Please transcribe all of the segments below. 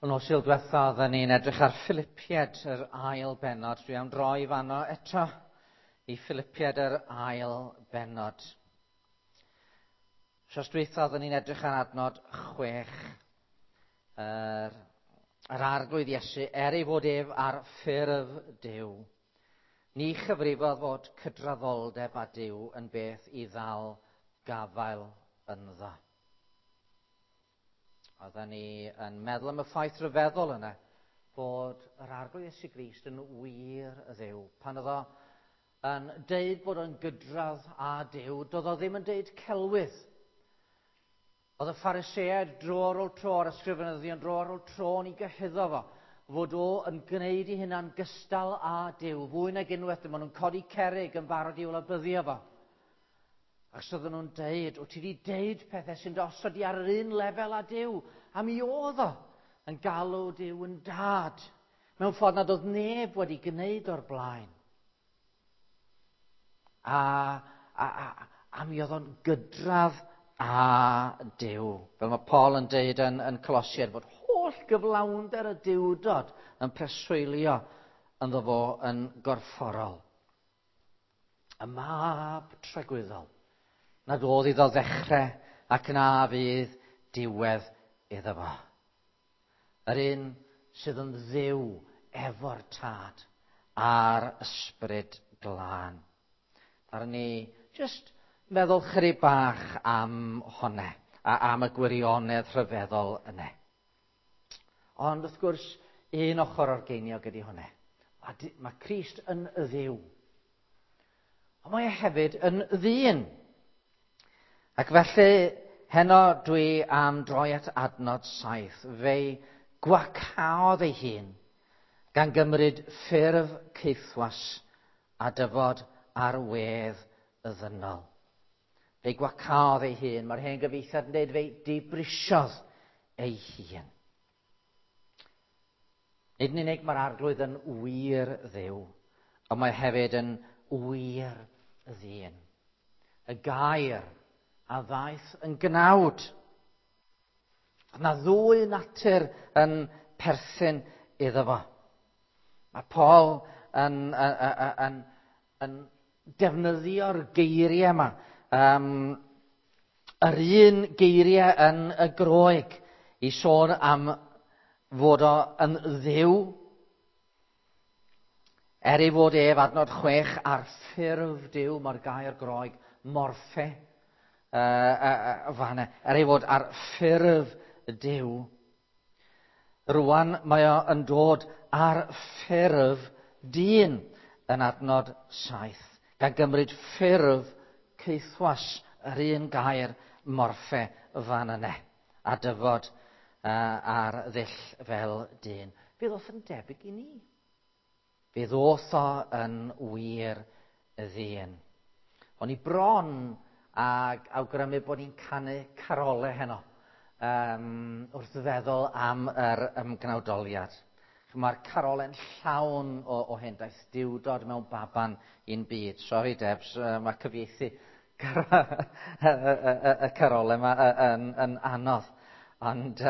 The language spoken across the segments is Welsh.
Y nos Sul diwetha oedden ni'n edrych ar Philipiaid yr ail bennod. Dwi am droi fanno eto i Philipiaid yr ail bennod. Wsos dwytha oedden ni'n edrych ar adnod 6. Yr Arglwydd Iesu, er ei fod ef ar ffurf Duw, ni chyfrifodd fod cydraddoldeb â Duw yn beth i ddal gafael ynddo. Oedden ni yn meddwl am y ffaith rhyfeddol yna bod yr Arglwydd Iesu Grist yn wir y Dduw. Pan oedd o yn deud bod o'n gydradd â Duw, doedd o ddim yn deud celwydd. Oedd y Phariseaid dro ar ôl tro, a'r ysgrifenyddion dro ar ôl tro yn ei gyhuddo fo, fod o yn gwneud ei hunan gystal â Duw, fwy nag unwaith, maen nhw'n codi cerrig yn barod i'w labyddio fo. Achos oedden nhw'n deud, wyt ti wedi deud pethau sy'n dy osod di ar yr un lefel â Duw. A mi oedd o yn galw Duw yn dad, mewn ffordd nad oedd neb wedi gwneud o'r blaen. A mi oedd o'n gydradd â Duw. Fel mae Paul yn deud yn Colosiaid, bod holl gyflawnder y Duwdod yn preswylio ynddo fo yn gorfforol. Y mab tragwyddol, nad oedd iddo ddechrau ac na fydd diwedd iddo fo. Yr un sydd yn Dduw efo'r Tad a'r Ysbryd Glân. Ddaru ni jyst meddwl chydig bach am honne, a am y gwirionedd rhyfeddol yne. Ond wrth gwrs, un ochr o'r geiniog ydy honne. Mae Crist yn Dduw. Ond mae e hefyd yn ddyn. Ac felly, heno dwi am droi at adnod 7. Fe'i gwacaodd ei hun gan gymryd ffurf caethwas a dyfod ar wedd y ddynol. Fe'i gwacaodd ei hun. Mae'r hen gyfieithiad yn dweud fe'i dibrisiodd ei hun. Nid yn unig mae'r Arglwydd yn wir Dduw, ond mae hefyd yn wir ddyn. Y gair a ddaeth yn gnawd. Yna ddwy natur yn perthyn iddo fo. Mae Paul yn defnyddio'r geiriau yma. Yr un geiriau yn y Groeg i sôn am fod o yn Dduw, er ei fod ef adnod 6 ar ffurf Duw, mae'r gair Groeg morphe, fanna, er ei fod ar ffurf Duw, rwan mae o yn dod ar ffurf dyn yn adnod 7, gan gymryd ffurf caethwas, yr un gair morphe fan yna, a dyfod ar ddull fel dyn. Fe ddoth yn debyg i ni. Fe ddoth o yn wir y ddyn. O'n i bron ag awgrymu bod ni'n canu carolau heno, wrth feddwl am yr ymgnawdoliad. Mae'r carole'n llawn o hen daith diwdod mewn baban i'n byd. Sori Debs, mae cyfieithu y carolau yma yn anodd. Ond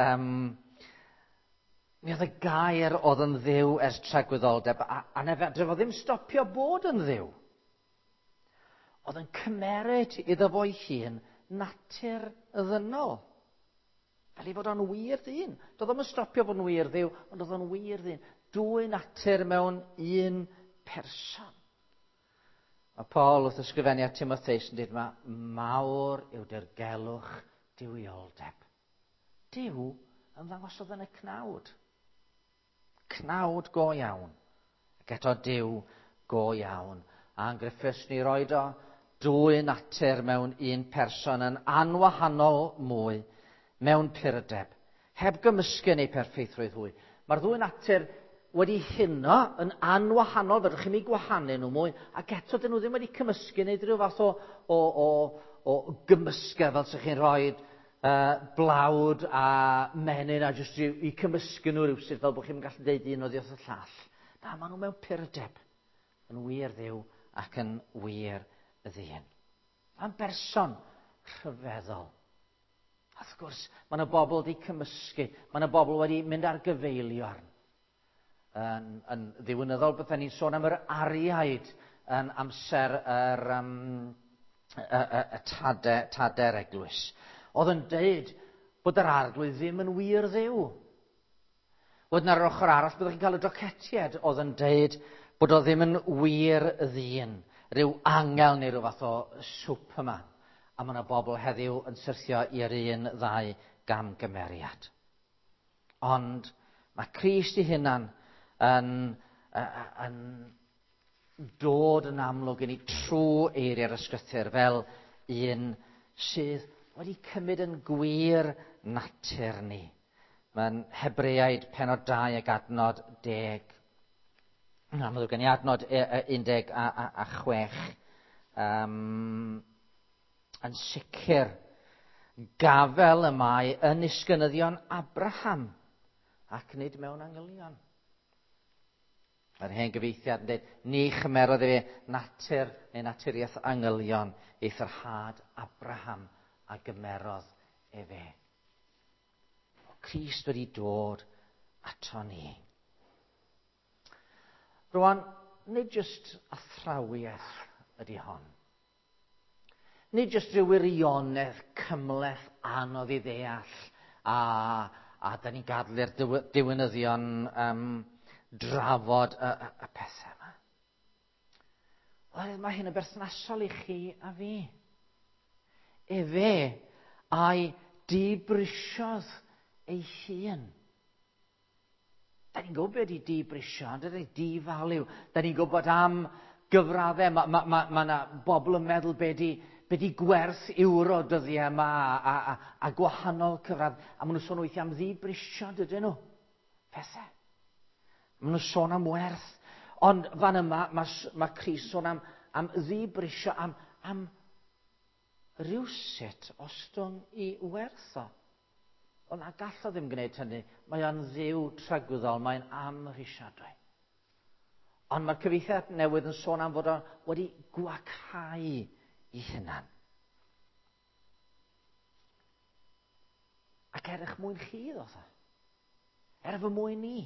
mi oedd y gair oedd yn Dduw ers tragwyddoldeb, a na fedre fo ddim stopio bod yn Dduw. Oedd yn cymeryd iddo fo'i hun natur ddynol. Fel ei fod o'n wir ddyn. Doedd o'm yn stopio bod yn wir Dduw, ond oedd o'n wir ddyn. Dwy natur mewn un person. Mae Paul wrth ysgrifennu at Timotheus yn dweud yma, mawr yw dirgelwch duwioldeb. Duw yn ddangosodd yn y cnawd. Cnawd go iawn. Ac eto Duw go iawn. A'n Griffiths ni roed o dwy natur mewn un person yn anwahanol mwy mewn purdeb. Heb gymysgu yn eu perffeithrwydd hwy. Mae'r ddwy natur wedi huno yn anwahanol, fedrwch chi'm eu gwahanu nhw mwy, ac eto dyn nhw ddim wedi cymysgu neu rhyw fath o gymysgedd fel sa'ch chi'n rhoi blawd a menyn a jyst i cymysgu nhw rywsut fel bod chi'n gallu deud un oddi wrth y llall. Na, maen nhw mewn purdeb, yn wir Dduw ac yn wir ddyn. Mae'n berson rhyfeddol. A wrth gwrs, mae yna bobl wedi cymysgu, mae yna bobl wedi mynd ar gyfeiliorn. Yn ddiwynyddol, bydden ni'n sôn am yr ariaid yn amser yr, y tade'r eglwys. Oedd yn deud bod yr arglwydd ddim yn wir ddiw. Wedyn ar yr ochr arall, byddwch chi'n cael y docetiad oedd yn deud bod o ddim yn wir ddyn, rhyw angel neu rhyw fath o superman. A mae yna bobl heddiw yn syrthio i'r un ddau gamgymeriad. Ond mae Crist ei hunan yn dod yn amlwg i ni trwy eiriau'r ysgrythur fel un sydd wedi cymryd yn gwir natur ni. Mae'n Hebreaid penod 2 ac adnod 10. Na, mae'n gen i adnod 16. Yn sicr, gafel y mae yn isgynyddion Abraham ac nid mewn angylion. Mae'r hen gyfeithiad yn dweud, ni chymerodd efe natur neu naturiaeth angylion, eithr had Abraham a gymerodd efe. O Crist wedi dod ato ni. Rwan, nid jyst athrawiaeth ydy hon. Nid jyst rhyw wirionedd cymhleth anodd i ddeall a da ni'n gadael i'r diwinyddion drafod y pethau yma. Wel, mae hyn yn berthnasol i chi a fi. Efe a'i dibrisiodd ei hun. Da ni'n gwybod beth ydy dibrisio, ond ydy di-value. Da ni'n gwybod am gyfraddau. Mae yna bobl yn meddwl be di gwerth euro dyddiau yma a gwahanol cyfradd. A maen nhw'n sôn weithiau am ddibrisio, dydyn nhw. Pethau. Maen nhw'n sôn am werth. Ond fan yma, mae Crist sôn am ddibrisio, am rywsut ostwng i werth o. Ond na gall o ddim gwneud hynny. Mae o'n ddiw tragwyddol, mae'n amhrisiadwy. Ond mae'r cyfieithiad newydd yn sôn am fod o wedi gwacau i hunan. Ac er eich mwyn chi, ddoth o. Er fy mwyn ni.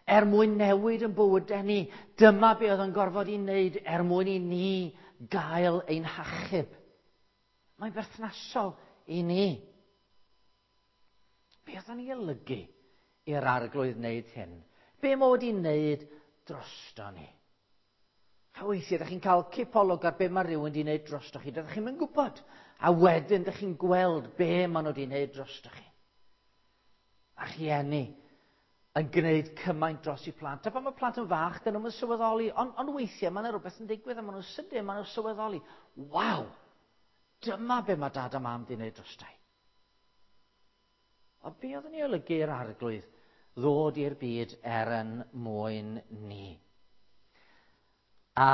Er mwyn newid yn bywydau ni. Dyma be oedd yn gorfod i wneud er mwyn i ni gael ein hachub. Mae'n berthnasol i ni. Be oedd o'n ei olygu i'r arglwydd wneud hyn? Be mae wedi wneud drosto ni? A weithiau, ydych chi'n cael cipolwg ar be mae rhywun wedi wneud drosto chi. Dydych chi'n gwybod. A wedyn, ydych chi'n gweld be maen nhw wedi wneud drosto chi. A rhieni yn gwneud cymaint dros i plant. A pan mae plant yn fach, dyn nhw'n sylweddoli. Ond weithiau, mae yna rhywbeth yn digwydd a maen nhw'n sydyn, maen nhw'n sylweddoli. Waw! Dyma be mae dad a mam wedi wneud drosto i. Ond be oedd yn ei olygu i'r arglwydd ddod i'r byd er yn mwyn ni? A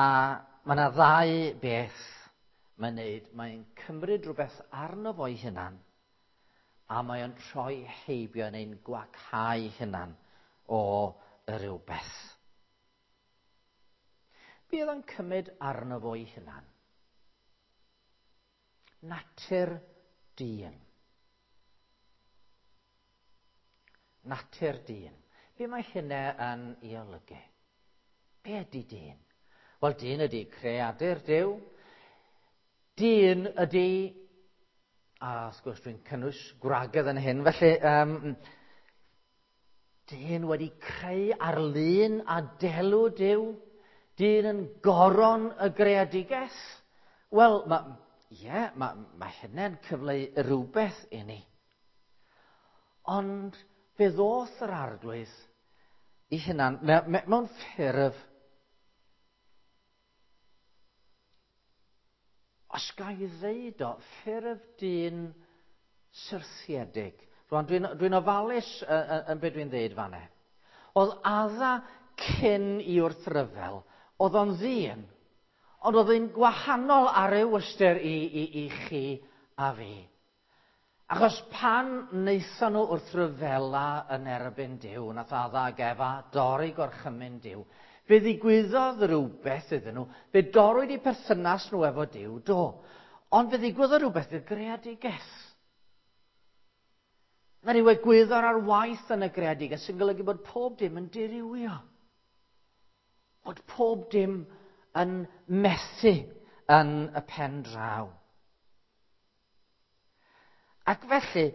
mae yna ddau beth mae'n neud. Mae'n cymryd rhywbeth arno fo'i hunan a mae'n troi heibio neu'n gwacau hunan o rywbeth. Be oedd yn cymryd arno fo'i hunan? Natur dyn. Natur dyn. Be mae hynna yn ei olygu? Be ydy dyn? Wel, dyn ydy creadur Duw. Dyn ydy, a wrth gwrs dwi'n cynnwys gwragedd yn hyn, felly dyn wedi creu arlun a delw Duw. Dyn yn goron y greadigaeth. Wel, mae hynny'n cyfleu rhywbeth i ni. Ond fe ddoth yr arglwydd i hunan mewn ffurf, os ga i ddeud o, ffurf dyn syrthiedig. Rwan, dwi'n ofalus yn beth dwi'n ddeud fan'na. Oedd Adda cyn i wrthryfel, oedd o'n ddyn, ond oedd o'n gwahanol ar ryw ystyr i chi a fi. Achos pan wnaethon nhw wrthryfela yn erbyn Duw, nath Adda ac Efa dorri gorchymyn Duw, fe ddigwyddodd rhywbeth iddyn nhw, fe dorrwyd eu perthynas nhw efo Duw, do. Ond fe ddigwyddodd rhywbeth i'r greadigaeth. Mae rhyw egwyddor ar waith yn y greadigaeth sy'n golygu bod pob dim yn dirywio. Bod pob dim yn methu yn y pen draw. Ac felly,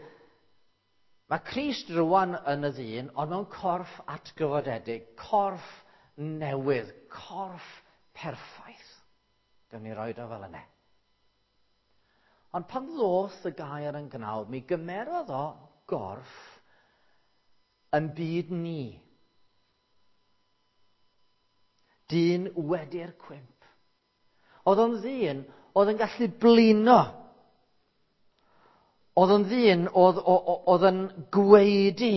mae Crist rwan yn y ddyn, ond mewn corff atgyfodedig, corff newydd, corff perffaith. Gawn ni roed o fel yna. Ond pan ddoth y gair yn gnawd, mi gymerodd o gorff yn byd ni. Dyn wedi'r cwymp. Oedd o'n ddyn oedd yn gallu blino. Oedd o'n ddyn oedd, oedd yn gweidi.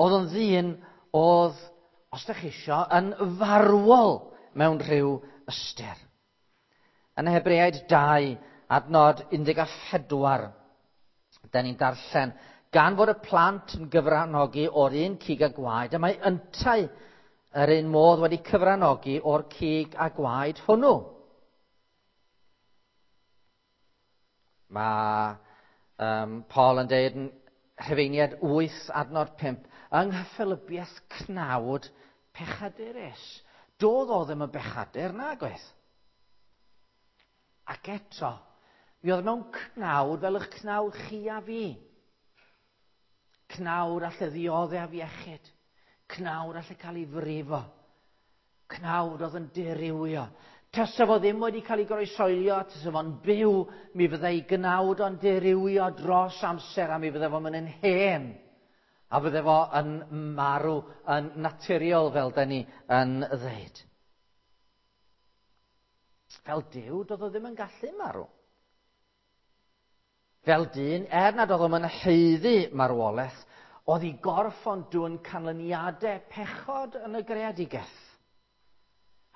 Oedd o'n ddyn oedd, os ydych chi isio, yn farwol mewn rhyw ystyr. Yn Hebreaid 2, adnod 14, da ni'n darllen, gan fod y plant yn gyfranogi o'r un cig a gwaed, a mae yntau yr un modd wedi cyfranogi o'r cig a gwaed hwnnw. Mae Paul yn deud yn Rhufeiniaid 8 adnod 5, yng nghyffelybiaeth cnawd pechadurus. Doedd o ddim yn bechadur, nag oedd. Ac eto, mi oedd mewn cnawd fel eich cnawd chi a fi. Cnawd alle ddioddef iechyd. Cnawd alle cael ei frifo. Cnawd oedd yn dirywio. Tasa fo ddim wedi cael ei groesoelio, tasa fo'n byw, mi fyddai gnawd o'n dirywio dros amser a mi fydde fo'n mynd yn hen. A fydde fo yn marw yn naturiol fel da ni yn ddeud. Fel Duw, doedd o ddim yn gallu marw. Fel dyn, er nad oedd o'n haeddu marwolaeth, oedd ei gorff o'n dwyn canlyniadau pechod yn y greadigaeth.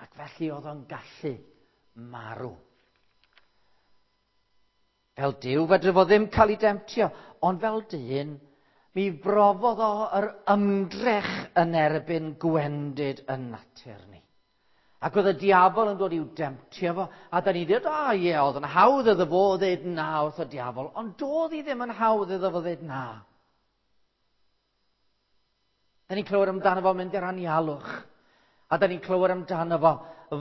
Ac felly oedd o'n gallu marw. Fel Duw, fedre fo ddim cael ei demtio, ond fel dyn, mi brofodd o yr ymdrech yn erbyn gwendid yn natur ni. Ac oedd y diafol yn dod i'w demtio fo, a da ni'n dweud, a ie, oedd yn hawdd iddo fo ddeud na wrth y diafol, ond doedd hi ddim yn hawdd iddo fo ddeud na. Da ni'n clywed amdano fo mynd i'r anialwch, a da ni'n clywed amdano fo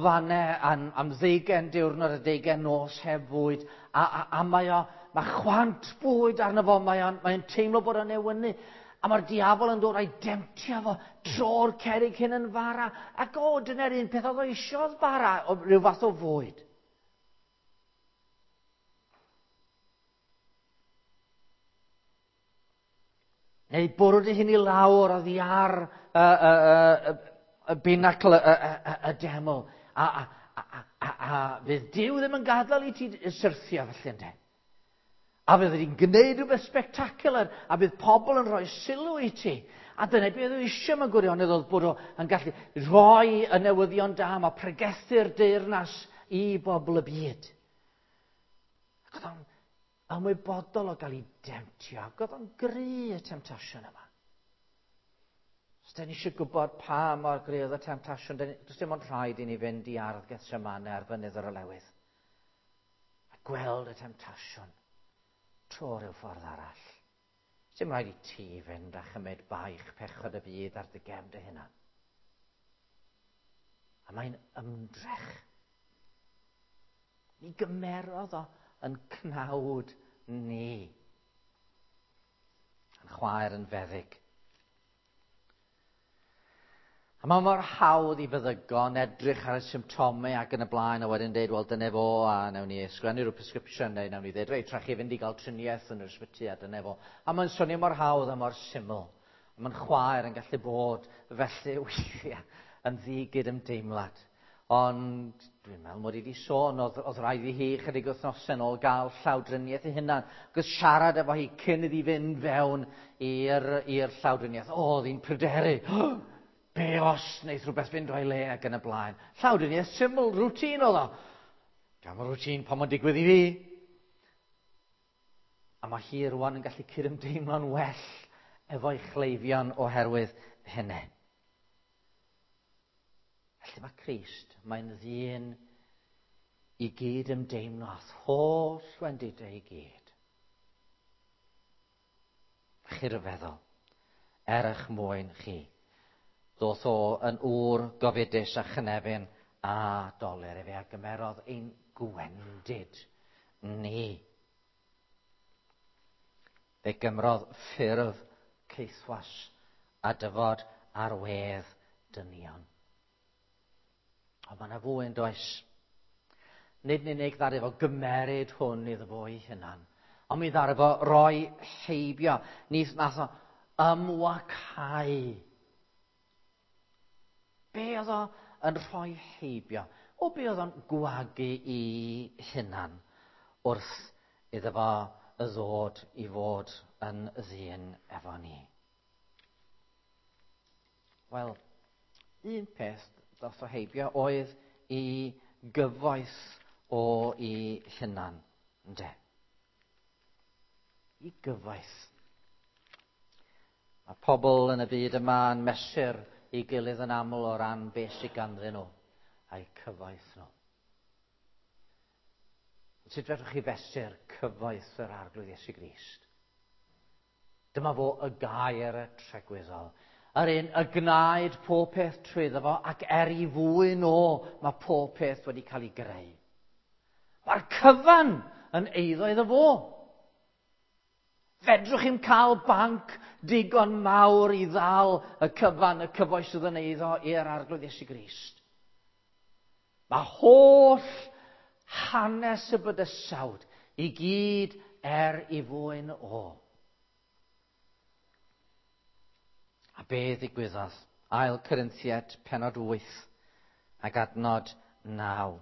fanne am 20 diwrnod a 20 nos heb fwyd, a mae o, mae chwant bwyd arno fo, mae o'n teimlo bod o'n newynu. A mae'r diafol yn dod a'i demtio fo tro'r cerrig hyn yn fara. Ac o, dyna'r un peth oedd o eisiau bara, o rhyw fath o fwyd. Neu bwrw dy hun i lawr oddi ar y binacl y deml. A fydd Duw ddim yn gadael i ti syrthio felly ynde. A fydd hi'n gwneud rhywbeth spectacular, a bydd pobl yn rhoi sylw i ti. A dyna beth oedd eisiau mewn gwirionedd oedd bod o'n gallu rhoi y newyddion da, mae pregethu'r deyrnas i bobl y byd. Ac oedd o'n ymwybodol o gael ei demtio, ac oedd o'n gry y temtasiwn yma. Os da ni eisiau gwybod pa mor gry oedd y temtasiwn, does dim ond rhaid i ni fynd i ardd Gethsemane ar fynydd yr Olewydd. A gweld y temtasiwn tro rhyw ffordd arall. Dim rhaid i ti fynd a chymryd baich pechod y byd ar dy gefn dy hunan. A mae'n ymdrech. Mi gymerodd o yn cnawd ni. Yn chwaer yn feddyg. A mae mor hawdd i feddygon edrych ar y symptomau ac yn y blaen a wedyn dweud, wel, dyna fo, a nawn ni ysgrifennu rhyw prescription neu nawn ni dweud, reit, rhaid chi fynd i gael triniaeth yn yr ysbyty a dyna fo. A mae'n swnio mor hawdd a mor syml. A mae'n chwaer yn gallu bod felly weithiau yn ddigyd ymdeimlad. Ond dwi'n meddwl mod i wedi sôn, oedd rhaid i hi chydig wythnosau yn ôl gael llawdriniaeth ei hunan. Ac oedd siarad efo hi cyn iddi fynd fewn i'r llawdriniaeth. O, oedd hi'n pryderu. Be os wneith rhywbeth fynd o'i le ac yn y blaen. Llawdriniaeth syml, routine oedd o. Diolch yn routine pan mae'n digwydd i fi. A mae hi rwan yn gallu cydymdeimlo'n well efo'i chleifion oherwydd hynny. Felly mae Crist, mae'n ddyn i gyd ymdeimlo â'th holl wendidau i gyd. iechyd feddwl, er eich mwyn chi. Ddoth o yn ŵr gofidus a chynefin a dolur. Efe a gymerodd ein gwendid ni. Fe gymrodd ffurf caethwas a dyfod ar wedd dynion. Ond mae yna fwy yn does. Nid yn unig ddaru fo gymeryd hwn iddo fo ei hunan, ond mi ddaru fo roi heibio. Ni nath o ymwacau. Be oedd o yn rhoi heibio? O be oedd o'n gwagu i hunan wrth iddo fo ddod i fod yn ddyn efo ni? Wel, un peth ddoth o heibio oedd i gyfoeth o i hunan, ynde? I gyfoeth. Mae pobl yn y byd yma yn mesur i gilydd yn aml o ran beth sydd ganddyn nhw a'u cyfoeth nhw. Sut fedrwch chi fesur cyfoeth yr Arglwydd Iesu Grist? Dyma fo y gair y tregwyddol. Yr un y gwnaed pob peth trwyddo fo, ac er i fwyn o, mae pob peth wedi cael ei greu. Mae'r cyfan yn eiddo iddo fo. Fedrwch chi'm cael banc digon mawr i ddal y cyfan, y cyfoeth sydd yn eiddo i'r Arglwydd Iesu Grist. Mae holl hanes y bydysawd i gyd er i fwyn o. A be ddigwyddodd? Ail Corinthiaid, penod 8 ac adnod 9.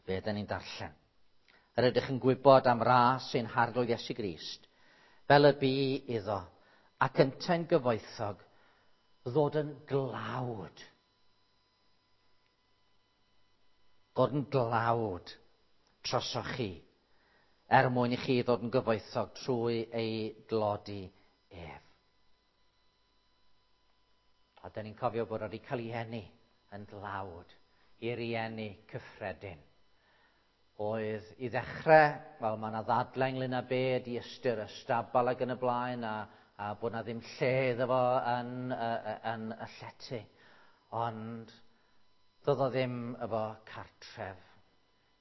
Be ydyn ni'n darllen? Yr ydych yn gwybod am ras ein Harglwydd Iesu Grist, fel y bu iddo, ac yntau'n gyfoethog, ddod yn glawd. Ddod yn glawd trosoch chi, er mwyn i chi ddod yn gyfoethog trwy ei glodi ef. A dyn ni'n cofio bod wedi cael ei eni yn dlawd i rieni cyffredin. Oedd i ddechrau, wel mae yna ddadlau ynglyn â be ydi ystyr y stabal ac yn y blaen, a bod yna ddim lle iddo fo yn y llety. Ond doedd o ddim efo cartref.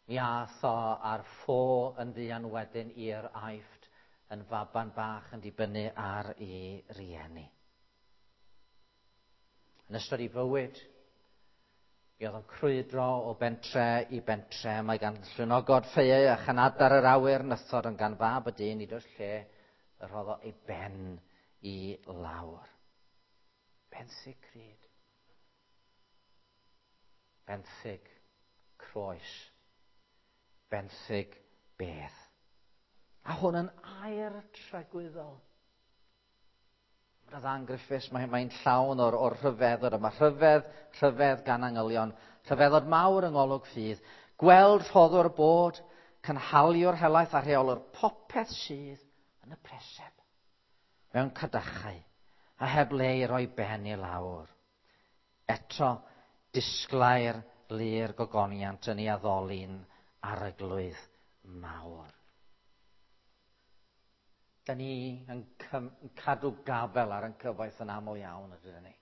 Mi ath o ar ffo yn fuan wedyn i'r Aifft yn faban bach yn dibynnu ar ei rieni. Yn ystod ei fywyd, mi oedd o'n crwydro o bentre i bentre. Mae gan llwynogod ffeuau a chanadar yr awyr nythod, ond gan fab y dyn nid oes lle y rhoddo ei ben i lawr. Benthyg cryd. Benthyg croes. Benthyg beth. A hwn yn air tragwyddol. Mae Ann Griffiths, mae'n llawn o'r rhyfeddod yma. Rhyfedd, rhyfedd gan angylion. Rhyfeddod mawr yng ngolwg ffydd. Gweld rhoddwr bod, cynhaliwr helaeth a rheolwr popeth sydd yn y preseb. Mewn cadachau, a heb le i roi ben i lawr. Eto, disglair lu'r gogoniant yn ei addoli'n arglwydd mawr. Da ni yn cadw gafel ar ein cyfoeth yn aml iawn, ydyn ni.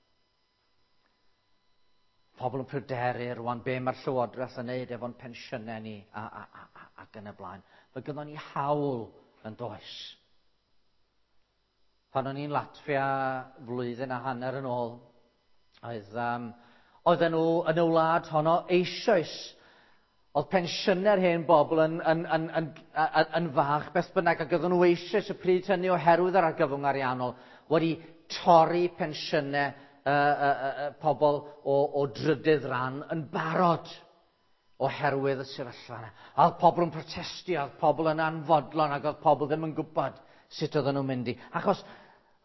Pobl yn pryderu rwan be mae'r Llywodraeth yn neud efo'n pensiynau ni ac yn y blaen. Mae gynnon ni hawl yn does. Pan o'n i'n Latfia flwyddyn a hanner yn ôl, oedden nhw yn y wlad honno eisoes. Oedd pensiynau'r hen bobl yn fach beth bynnag, ac oedden nhw eisoes y pryd hynny oherwydd yr argyfwng ariannol wedi torri pensiynau pobl o drydydd ran yn barod oherwydd y sefyllfa yna. A oedd pobl yn protestio, oedd pobl yn anfodlon, ac oedd pobl ddim yn gwybod sut oedden nhw'n mynd i. Achos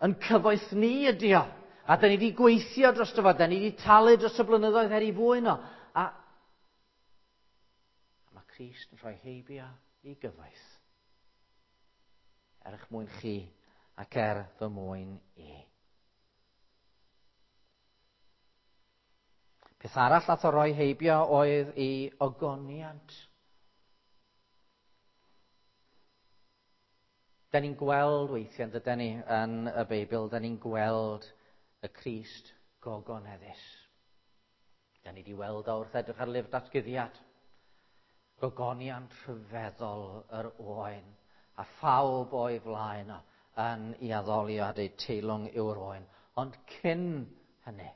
yn cyfoeth ni ydi o. A da ni wedi gweithio dros fo, da ni wedi talu dros y blynyddoedd er i fwyn o. A mae Crist yn rhoi heibio i gyfoeth. Er eich mwyn chi ac er fy mwyn i. Peth arall nath o roi heibio oedd i ogoniant. Da ni'n gweld weithiau, dyda ni, yn y Beibl, da ni'n gweld y Crist gogoneddus. Da ni wedi weld o wrth edrych ar lyfr datguddiad. Gogoniant rhyfeddol yr oen, a phawb o'i flaen o yn ei addoli a deud teilwng yw'r oen. Ond cyn hynny,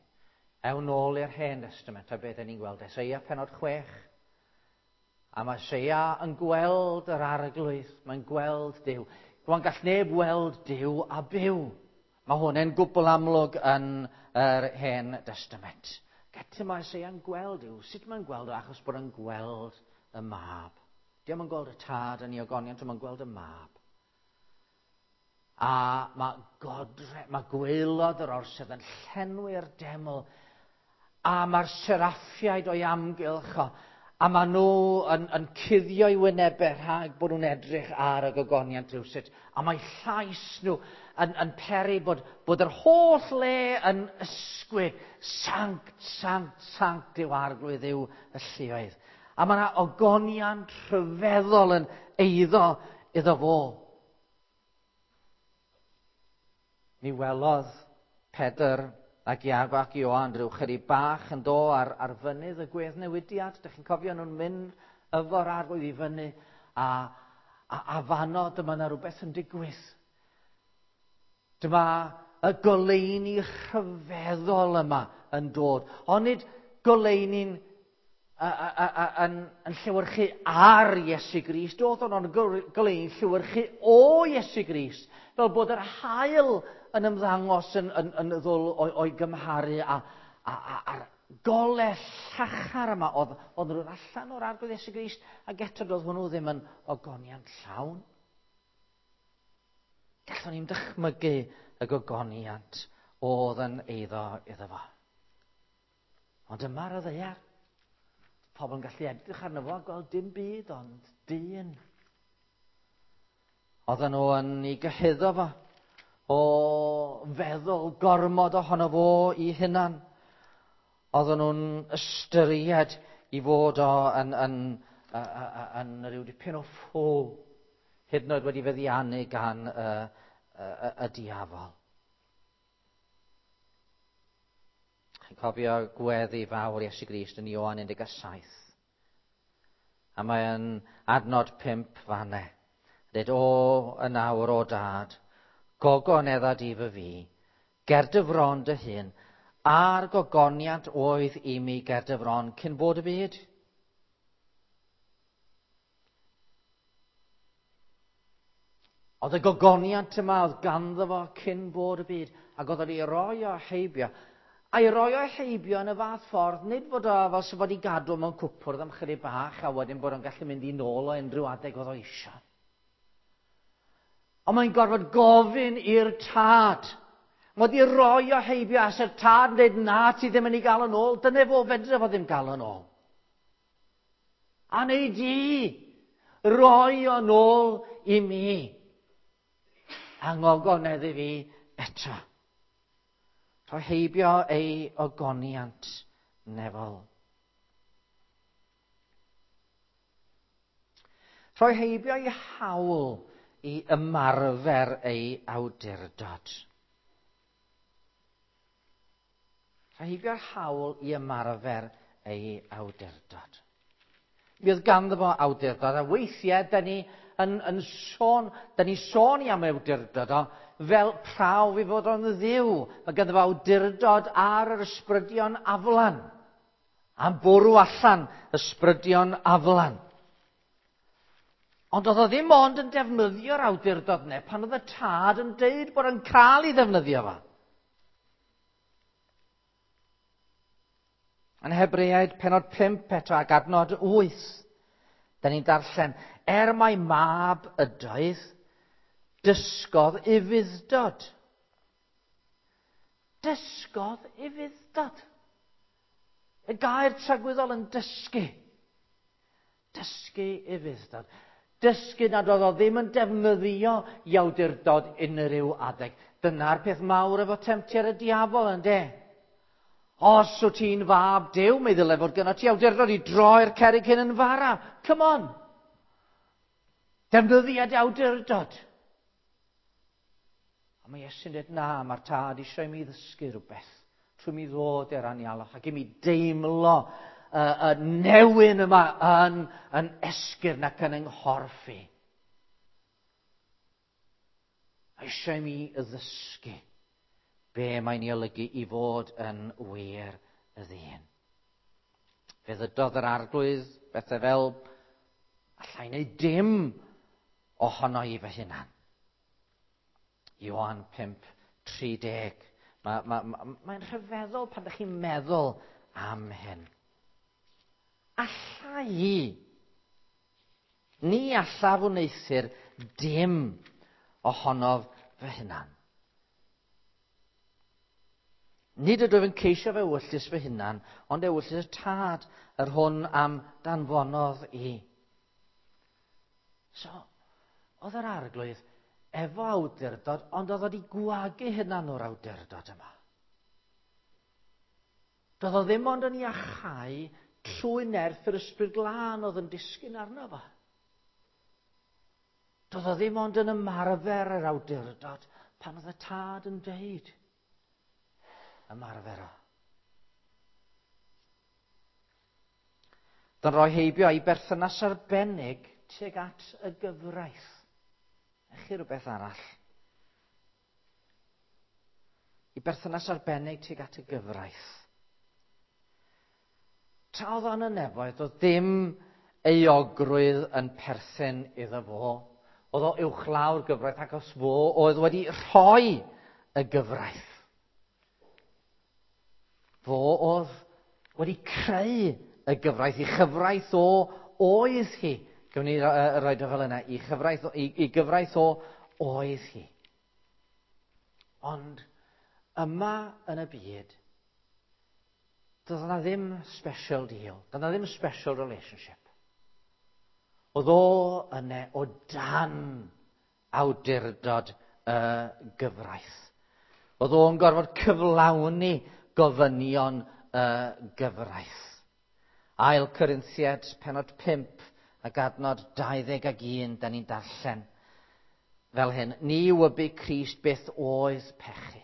ewn nôl i'r Hen Testament a beth ni'n gweld. Eseia penod 6. A mae Eseia yn gweld yr arglwydd, mae'n gweld Duw. Rwan gall neb weld Duw a byw. Mae hwn yn gwbl amlwg yn yr Hen Testament. Eto mae Eseia'n gweld Duw. Sut mae'n gweld o? Achos bod yn gweld y mab. Diolch yn gweld y tad yn ei ogoniant, ond mae'n gweld y mab. A mae godre, mae gwaelod yr orsedd yn llenwi'r deml. A mae'r seraffiaid o'i amgylch o, a maen nhw yn, yn cuddio i wynebau rhag bod nhw'n edrych ar y gogoniant rhywsut. A mae llais nhw yn, yn peri bod, bod yr holl le yn ysgwyd. Sanct, sanct, sanct yw arglwydd yw y lluoedd. A mae yna ogoniant rhyfeddol yn eiddo iddo fo. Mi welodd Pedr ac Iago ac Ioan rhyw chydig bach yn do ar, ar fynydd y gweddnewidiad. Dych chi'n cofio nhw'n mynd efo'r arglwydd i fyny a, a, a fanno dyma yna rhywbeth yn digwydd. Dyma y goleuni rhyfeddol yma yn dod. Ond nid goleuni'n yn, yn llewyrchu ar Iesu Grist, oedd o'n goleuni llewyrchu o Iesu Grist, fel bod yr haul yn ymddangos yn, yn, yn ddwl o'i gymharu a, a, a, a'r gole llachar yma oedd, oedd yn dod allan o'r arglwydd Iesu Grist, ac eto doedd hwnnw ddim yn ogoniant llawn. Gallwn ni'n dychmygu y gogoniant oedd yn eiddo iddo fo. Ond yma ar y ddaear, pobl yn gallu edrych arno fo a gweld dim byd ond dyn. Oedden nhw yn ei gyhuddo fo o feddwl gormod ohono fo i hunan. Oedden nhw'n ystyried i fod o yn, yn, yn, yn, yn rhyw dipyn o ffwl, hyd yn oed wedi feddiannu gan y, y, y, y diafol. Chi'n cofio gweddi fawr Iesu Grist yn Ioan 17. A mae'n adnod 5 fanne. Dweud, o, yn awr o dad, gogonedda di fy fi, ger dy fron dy hun, a'r gogoniant oedd i mi ger dy fron cyn bod y byd. Oedd y gogoniant yma oedd ganddo fo cyn bod y byd, ac oedd wedi roi o heibio. A'i roi o heibio yn y fath ffordd, nid fod o fel sy'n fod i gadw mewn cwpwrdd am chydig bach, a wedyn bod o'n gallu mynd i nôl o unrhyw adeg oedd o eisiau. Ond mae'n gorfod gofyn i'r tad. Mae wedi roi o heibio, a se'r tad yn dweud, na, ti ddim yn ei gael yn ôl, dyna fo, fedre fo ddim gael yn ôl. A neu di roi o'n ôl i mi. A ngogonedd i fi eto. Rhoi heibio ei ogoniant nefol. Rhoi heibio ei hawl i ymarfer ei awdurdod. Rhoi heibio'r hawl i ymarfer ei awdurdod. Mi oedd ganddo fo awdurdod, a weithiau, da ni yn, yn sôn, da ni sôn i am awdurdod o fel prawf i fod o'n ddiw. Mae ganddo fo awdurdod ar yr ysbrydion aflan. Am bwrw allan ysbrydion aflan. Ond oedd o ddim ond yn defnyddio'r awdurdod yna pan oedd y tad yn deud bod yn cael ei ddefnyddio fo. Yn Hebreaid penod 5 eto ac adnod 8, da ni'n darllen, er mai mab ydoedd, dysgodd ufudd-dod. Dysgodd ufudd-dod. Y gair tragwyddol yn dysgu. Dysgu ufudd-dod. Dysgu nad oedd o ddim yn defnyddio i awdurdod unrhyw adeg. Dyna'r peth mawr efo temtiad y diafol, yndê? Os wyt ti'n fab Duw, mi ddyle fod gyda ti awdurdod i droi'r cerrig hyn yn fara. Come on! Defnyddiad awdurdod. Ond mae Iesu'n dweud, na, mae'r tad eisiau i mi ddysgu rhywbeth trwy mi ddod i'r anialwch ac i mi deimlo y newyn yma yn, yn esgyrn ac yn yng i. Eisiau i mi ddysgu be mae'n ei olygu i fod yn wir y ddyn. Fe ddydodd yr arglwydd bethau fel allai wneud dim ohono i fy hunan. Ioan 5:30. Mae'n ma, ma, ma rhyfeddol pan ydych chi'n meddwl am hyn. Alla i, ni allaf wneuthur dim ohonof fy hunan. Nid ydw i'n ceisio fe ewyllys fy hunan, ond ewyllys y tad yr hwn am danfonodd i. So, oedd yr arglwydd efo awdurdod, ond oedd wedi gwagu hunan o'r awdurdod yma. Doedd o ddim ond yn iachau trwy nerth yr ysbryd glân oedd yn disgyn arno fo. Doedd o ddim ond yn ymarfer yr awdurdod pan oedd y tad yn deud ymarfer o. Dy'n rhoi heibio i berthynas arbennig tuag at y gyfraith. Chi rhywbeth arall. I berthynas arbennig tuag at y gyfraith. Tra oedd o'n y nefoedd, oedd ddim euogrwydd yn perthyn iddo fo. Oedd o uwchlaw'r gyfraith ac os fo oedd wedi rhoi y gyfraith. Fo oedd wedi creu y gyfraith, i chyfraith o oedd hi. Gwn ni roed o fel yna, i, chyfraith, i, i gyfraith o oedd hi. Ond yma yn y byd, doedd yna ddim special deal, doedd yna ddim special relationship. Oedd o yna o dan awdurdod y gyfraith. Oedd o'n gorfod cyflawni gofynion y gyfraith. Ail Corinthiad, penod 5, ac adnod 21, da ni'n darllen fel hyn. Ni wybu Crist beth oedd pechu.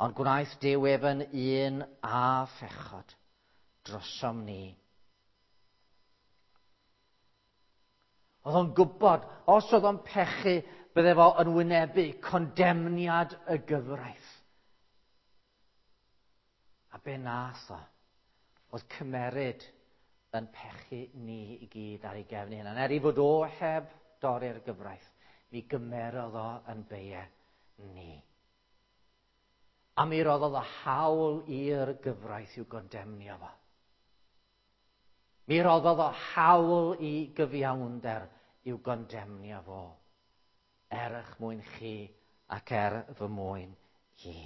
Ond gwnaeth Duw ef yn un a phechod drosom ni. Oedd o'n gwybod, os oedd o'n pechu, bydde fo yn wynebu condemniad y gyfraith. A be nath o? Oedd cymeryd yn pechu ni i gyd ar ei gefn ei hunan. Er i fod o heb dorri'r gyfraith, mi gymerodd o yn beie ni. A mi roddodd o hawl i'r gyfraith i'w gondemnio fo. Mi roddodd o hawl i gyfiawnder i'w gondemnio fo. Er eich mwyn chi ac er fy mwyn i.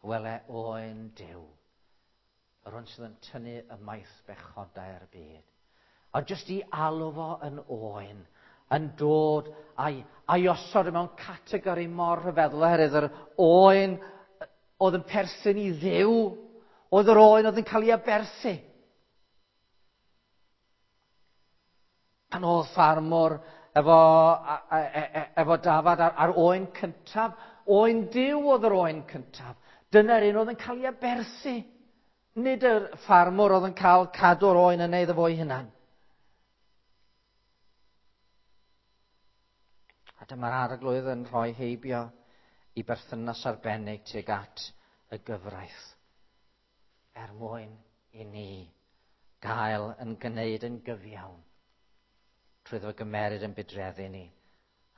Wele oen Duw yr hwn sydd yn tynnu ymaith bechodau'r byd. A jyst i alw fo yn oen, yn dod a'i, a'i osod mewn categori mor rhyfeddol oherwydd yr oen oedd yn perthyn i Dduw, oedd yr oen oedd yn cael ei aberthu. Pan oedd ffarmwr efo, efo dafad ar, ar oen cyntaf, oen Duw oedd yr oen cyntaf. Dyna'r un oedd yn cael ei aberthu. Nid yr ffarmwr oedd yn cael cadw'r oen yn iddo fo'i hunan. A dyma'r arglwydd yn rhoi heibio i berthynas arbennig tuag at y gyfraith. Er mwyn i ni gael yn gwneud yn gyfiawn trwy iddo gymeryd yn budreddu ni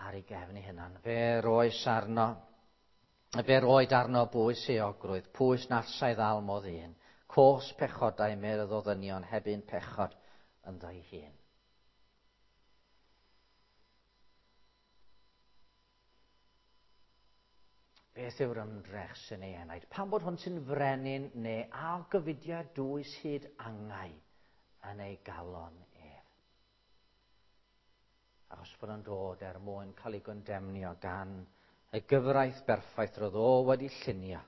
ar ei gefn ei hunan. Fe roes arno, fe roed arno bwys euogrwydd, pwys na allai ddal modd un. Cos pechodau medd o ddynion heb un pechod ynddo ei hun. Beth yw'r ymdrech sy'n ei enaid? Pam bod hwn sy'n frenin neu a gyfudiau dwys hyd angau yn ei galon ef? Achos bod o'n dod er mwyn cael ei gondemnio gan y gyfraith berffaith roedd o wedi llunio,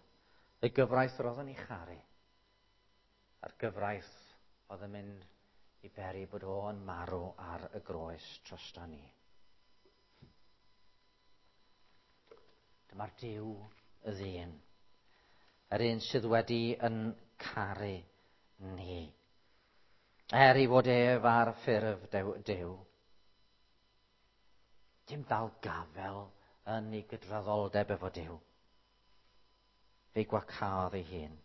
y gyfraith roedd o'n ei charu, a'r gyfraith oedd yn mynd i beri bod o'n marw ar y groes drosto ni. Dyma'r Duw y ddyn. Yr un sydd wedi yn caru ni. Er ei fod ef ar ffurf Duw. Dim dal gafel yn ei gydraddoldeb efo Duw. Fe gwacaodd ei hun.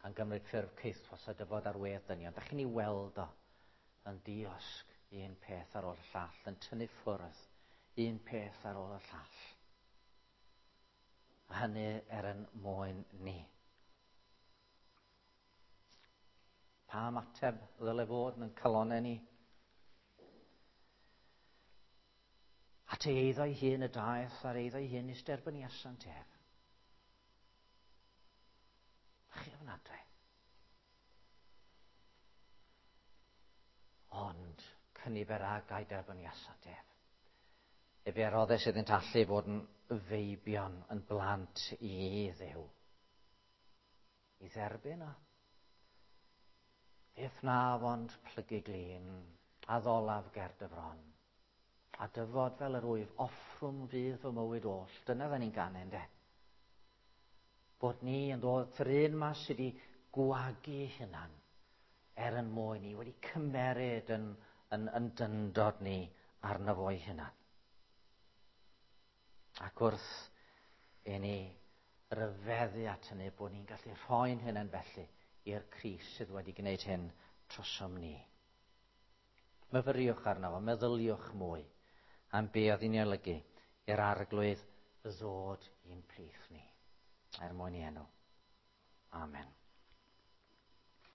Gan gymryd ffurf caethwas a dyfod ar wedd dynion. Da chi'n ei weld o yn diosg un peth ar ôl y llall, yn tynnu ffwrdd un peth ar ôl y llall. A hynny er yn mwyn ni. Pa ymateb ddyle fod yn calonau ni? At ei eiddo ei hun y daeth, a'r eiddo ei hun nis derbyniasant ef. Chi ofnadwy. Ond cynifer ag a'i derbyniasant ef. Efe a roddes iddynt allu fod yn feibion, yn blant i Dduw. I dderbyn o. Beth wnaf ond plygu glin, a ddolaf ger dy fron. A dyfod fel yr wyf, offrwm fydd fy mywyd oll. Dyna dda ni'n ganu, ynde? Bod ni yn dod at yr un ma sydd wedi gwagu hunan er yn mwyn ni, wedi cymeryd yn, yn, yn dyndod ni arno fo'i hunan. Ac wrth i ni ryfeddu at hynny, bod ni'n gallu rhoi'n hunain felly i'r Crist sydd wedi gwneud hyn trosom ni. Myfyriwch arno fo, meddyliwch mwy am be oedd hi'n ei olygu i'r Arglwydd ddod i'n plith ni, er mwyn ei enw. Amen.